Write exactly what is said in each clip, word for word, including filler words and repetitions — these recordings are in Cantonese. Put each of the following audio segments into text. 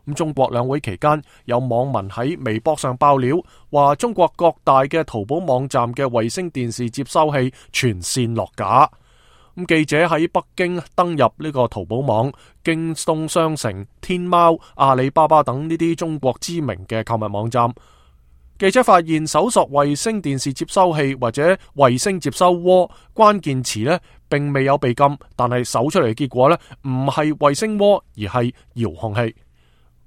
咁中國兩會期間，有網民喺微博上爆料，話中國各大嘅淘寶網站嘅衛星電視接收器全線落架。咁記者喺北京登入呢個淘寶網、京東商城、天貓、阿里巴巴等呢啲中國知名嘅購物網站，記者發現搜索衛星電視接收器或者衛星接收鍋關鍵詞呢，並未有被禁，但係搜出嚟嘅結果呢，唔係衛星鍋，而係遙控器。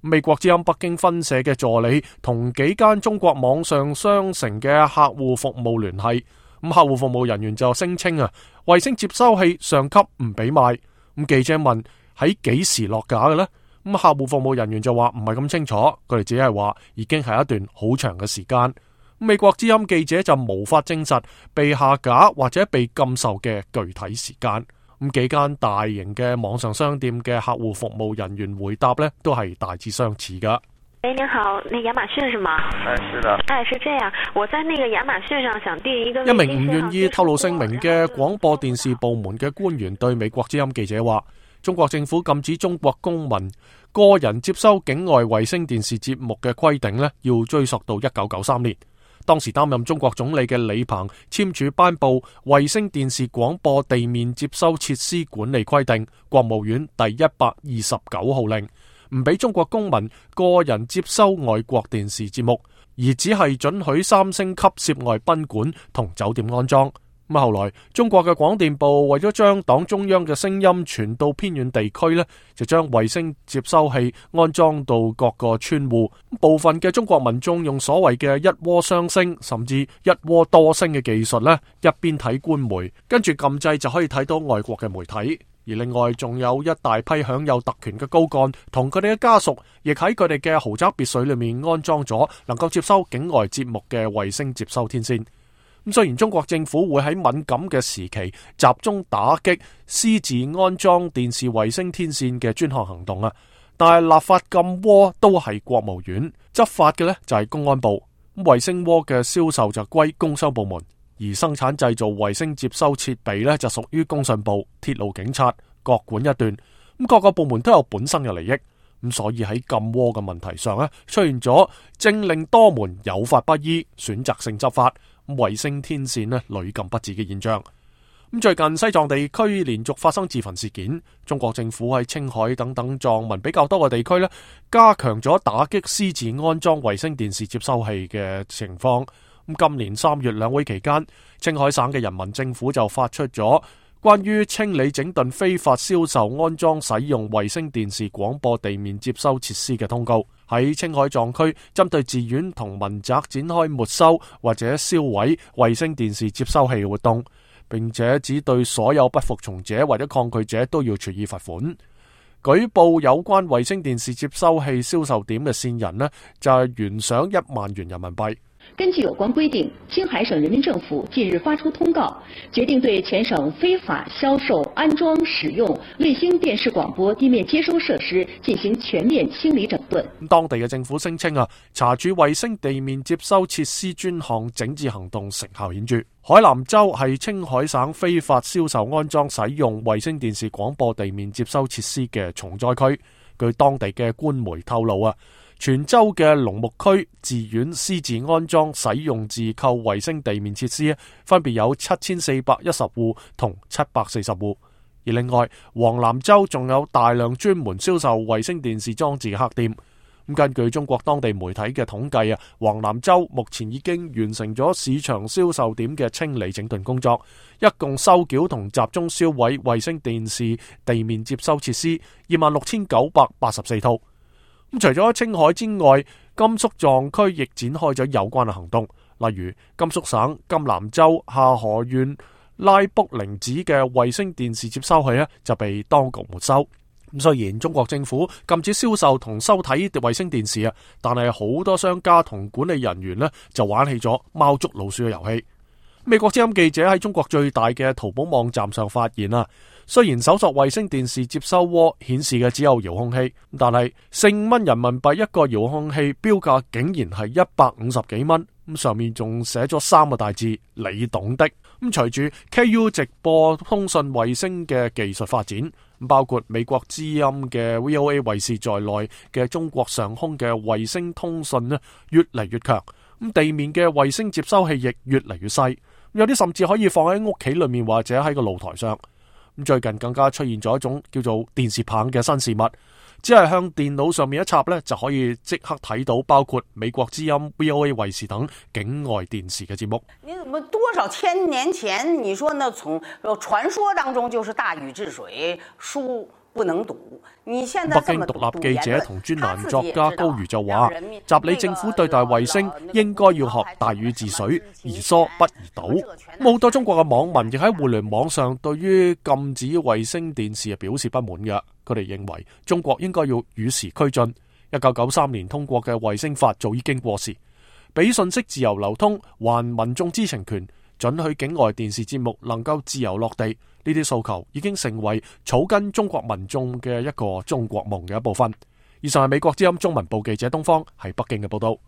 美國之音北京分社嘅助理同幾間中國網上商城嘅客戶服務聯繫，咁客戶服務人員就聲稱啊，衛星接收器上級唔俾賣。咁記者問喺幾時落架嘅呢？咁客戶服務人員就話唔係咁清楚，佢哋只係話已經係一段好長嘅時間。美國之音記者就無法證實被下架或者被禁售嘅具體時間。咁幾間大型嘅網上商店嘅客戶服務人員回答呢，都係大致相似噶。喂，您好，那亞馬遜是嗎？哎，是的。哎，是這樣，我在那個亞馬遜上想訂一個。一名唔願意透露姓名嘅廣播電視部門嘅官員對美國之音記者話，中國政府禁止中國公民個人接收境外衛星電視節目嘅規定呢，要追溯到一九九三年。當時擔任中國總理嘅李鵬簽署頒布衛星電視廣播地面接收設施管理規定，國務院第一百二十九號令，唔俾中國公民個人接收外國電視節目，而只係准許三星級涉外賓館同酒店安裝。咁後來中國嘅廣電部為咗將黨中央嘅聲音傳到偏遠地區呢，就將衛星接收器安裝到各個村戶。部分嘅中國民眾用所謂嘅一窩雙聲甚至一窩多聲嘅技術呢，一邊睇官媒，跟住撳掣就可以睇到外國嘅媒體。而另外仲有一大批享有特權嘅高幹同佢哋嘅家屬，亦喺佢哋嘅豪宅別墅裏面安裝咗能夠接收境外節目嘅衛星接收天線。咁雖然中國政府會喺敏感嘅時期集中打擊私自安裝電視衛星天線嘅專項行動啊，但係立法禁窩都係國務院，執法嘅呢就係公安部。咁衛星窩嘅銷售就歸工商部門，而生產製造衛星接收設備呢就屬於工信部、鐵路警察，各管一段。咁各個部門都有本身嘅利益，咁所以喺禁窩嘅問題上呢，出現咗政令多門、有法不依、選擇性執法。衛星天線呢屢禁不止嘅現象。咁最近西藏地區連續發生自焚事件，中國政府喺青海等等藏民比較多嘅地區呢，加強咗打擊私自安裝衛星電視接收器嘅情況。咁今年三月兩會期間，青海省嘅人民政府就發出咗關於清理整頓非法銷售、安裝、使用衛星電視廣播地面接收設施嘅通告，喺青海藏區針對寺院同民宅展開沒收或者銷毀衛星電視接收器嘅活動，並且只對所有不服從者或者抗拒者都要處以罰款。舉報有關衛星電視接收器銷售點嘅線人呢，就係懸賞一萬元人民幣。根據有關規定，青海省人民政府近日發出通告，決定對全省非法銷售、安裝、使用衛星電視廣播地面接收設施進行全面清理整頓。當地嘅政府聲稱啊，查處衛星地面接收設施專項整治行動成效顯著。海南州係青海省非法銷售、安裝、使用衛星電視廣播地面接收設施嘅重災區。據當地嘅官媒透露啊，全州嘅龍目區寺院私自安裝、使用自購衛星地面設施，分別有七千四百一十戶同七百四十戶。而另外，黃南州仲有大量專門銷售衛星電視裝置嘅黑店。咁根據中國當地媒體嘅統計啊，黃南州目前已經完成咗市場銷售點嘅清理整頓工作，一共收繳同集中銷毀衛星電視地面接收設施二萬六千九百八十四套。咁除咗青海之外，甘肅藏區亦展開咗有關嘅行動，例如甘肅省甘南州夏河縣拉卜陵子嘅衛星電視接收器呢就被當局沒收。咁雖然中國政府禁止銷售同收睇衛星電視啊，但係好多商家同管理人員呢就玩起咗貓捉老鼠嘅遊戲。美國之音記者喺中國最大嘅淘寶網站上發現啊，雖然搜索衛星電視接收窩顯示嘅只有遙控器，但係四蚊人民幣一個遙控器標價竟然係一百五十幾蚊，咁上面仲寫咗三個大字你懂的。咁隨住 K U 直播通訊衛星嘅技術發展，包括美國之音嘅 V O A 衛視在內嘅中國上空嘅衛星通訊呢越嚟越強，咁地面嘅衛星接收器亦越嚟越細，有啲甚至可以放喺屋企裏面或者喺個露台上。咁最近更加出現咗一種叫做電視棒嘅新事物，只係向電腦上面一插呢，就可以即刻睇到包括美國之音、V O A 衛視等境外電視嘅節目。你怎麼多少千年前，你說呢？從傳說當中就是大禹治水，書不能讀。你現在北京獨立記者同專欄作家高瑜就話，習李政府對待衛星應該要學大禹治水，宜疏不宜倒。好多中國嘅網民亦喺互聯網上對於禁止衛星電視表示不滿嘅，佢哋認為中國應該要與時俱進。一九九三年通過嘅衛星法早已經過時，俾信息自由流通，還民眾知情權，准許境外電視節目能夠自由落地，呢啲訴求已經成為草根中國民眾嘅一個中國夢嘅一部分。以上係美國之音中文部記者東方喺北京嘅報道。